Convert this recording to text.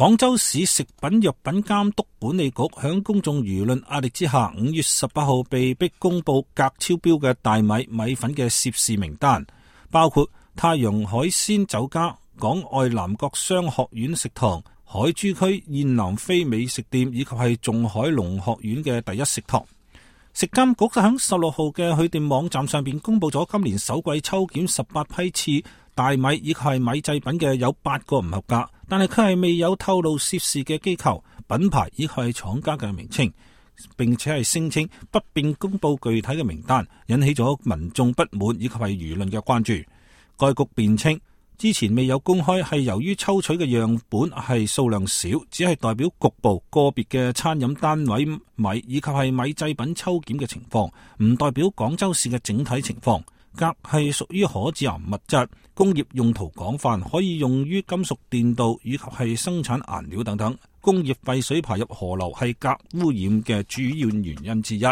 廣州市食品藥品監督管理局響公眾輿論壓力之下，5月18號被迫公布鎘超標嘅大米、米粉嘅涉事名單，包括太陽海鮮酒家、港外南國商學院食堂、海珠區燕南飛美食店以及係仲海龍學院嘅第一食堂。食監局喺16號嘅佢哋網站上邊公布咗今年首季抽檢18批次大米以及係米製品嘅有8個唔合格，但係佢係未有透露涉事嘅機構、品牌以及係廠家嘅名稱，並且係聲稱不便公布具體嘅名單，引起咗民眾不滿以及係輿論嘅關注。該局辯稱之前未有公開係由於抽取嘅樣本係數量少，只係代表局部個別嘅餐飲單位米以及係米製品抽檢嘅情況，唔代表廣州市嘅整體情況。鎘係屬於可致癌物質，工業用途廣泛，可以用於金屬電鍍以及係生產顏料等等。工業廢水排入河流係鎘污染嘅主要原因之一。